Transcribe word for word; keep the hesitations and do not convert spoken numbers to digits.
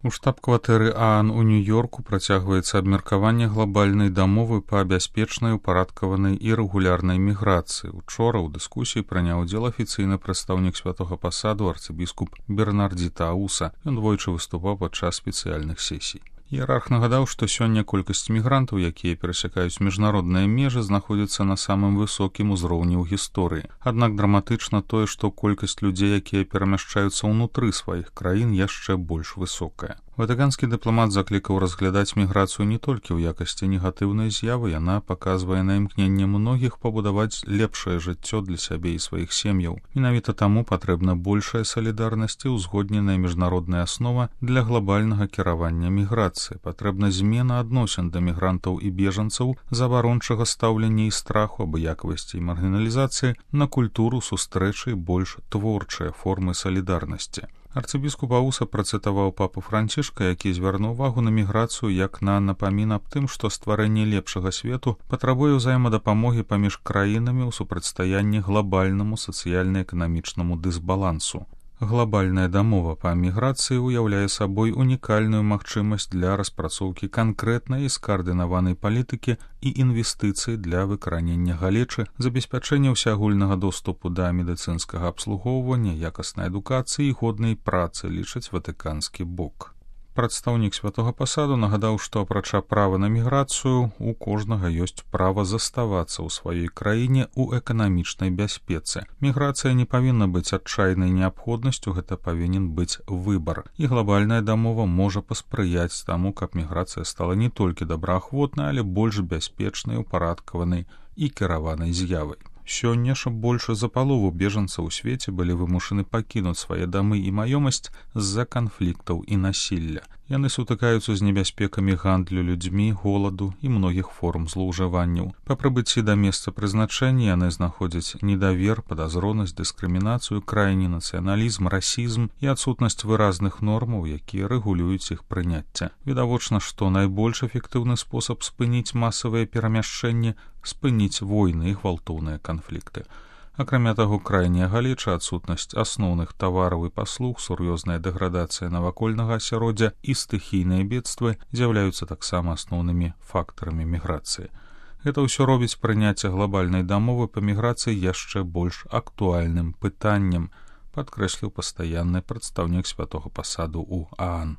У штаб-кватэры ААН у Нью-Йорку працягваецца абмеркаванне глобальнай дамовы па бяспечнай, упарадкаванай і рэгулярнай міграцыі. Учора ў дыскусіі прыняў удзел афіцыйны прадстаўнік святога пасаду арцыбіскуп Бернардзіта Ауса. Ён двойчы выступаў падчас спецыяльных сесій. Іерарх нагадаў, што сёння колькасць мігрантаў, якія перасякаюць міжнародныя межы, знаходзіцца на самым высокім узроўні ў гісторыі. Аднак драматычна тое, што колькасць людзей, якія перамяшчаюцца ўнутры сваіх краін, яшчэ больш высокая. Ватыканскі дыпламат заклікаў разглядаць міграцыю не толькі ў якасці негатыўнай з'явы, яна паказвае на імкненне многіх пабудаваць лепшае жыццё для сябе і сваіх сем'яў. Менавіта таму патрэбна большая салідарнасць і ўзгодненая міжнародная аснова для глобальнага кіравання міграцыі. Патрэбна змена адносін да мігрантаў і бежанцаў, забарончага стаўлення і страху, абыякавасці і маргіналізацыі на культуру сустрэчы і больш творчыя формы салідарнасці. Арцыбіскуп Ауса працытаваў папу Францішка, які звярнуў увагу на міграцыю як на напамін аб тым, што стварэнне лепшага свету патрабуе ўзаемадапамогі паміж краінамі ў супрацьстаянні глобальнаму сацыяльна-эканамічнаму дысбалансу. Глобальная дамова па міграцыі ўяўляе сабой унікальную магчымасць для распрацоўкі канкрэтнай і скаардынаванай палітыкі і інвестыцый для выкаранення галечы, забеспячэння ўсеагульнага доступу да медыцынскага абслугоўвання, якаснай адукацыі і годнай працы, лічыць ватыканскі бок. Прадстаўнік святога пасаду нагадаў, што апрача права на міграцыю, у кожнага ёсць права заставацца ў сваёй краіне ў эканамічнай бяспецы. Міграцыя не павінна быць адчайнай неабходнасцю, гэта павінен быць выбар. І глобальная дамова можа паспрыяць таму, каб міграцыя стала не толькі добраахвотнай, але больш бяспечнай, упарадкаванай і кіраванай з'явай. Сёння ж больш за палову бежанцаў у свеце былі вымушаны пакінуць свае дамы і маёмасць з-за канфліктаў і насілля. Яны сутыкаюцца з небяспекамі гандлю людзьмі, голаду і многіх форм злоўжыванняў. Па прыбыцці да месца прызначэння яны знаходзяць недавер, падазронасць, дыскрымінацыю, крайні нацыяналізм, расізм і адсутнасць выразных нормаў, якія рэгулююць іх прыняцце. Відавочна, што найбольш эфектыўны спосаб спыніць масавыя перамяшчэнні — спыніць войны і гвалтоўныя канфлікты. Акрамя таго, крайняя галеча, адсутнасць асноўных тавараў і паслуг, сур'ёзная дэградацыя навакольнага асяроддзя і стыхійныя бедствы з'яўляюцца таксама асноўнымі фактарамі міграцыі. Гэта ўсё робіць прыняцце глобальнай дамовы па міграцыі яшчэ больш актуальным пытаннем, падкрэсліў пастаянны прадстаўнік святога пасаду ў ААН.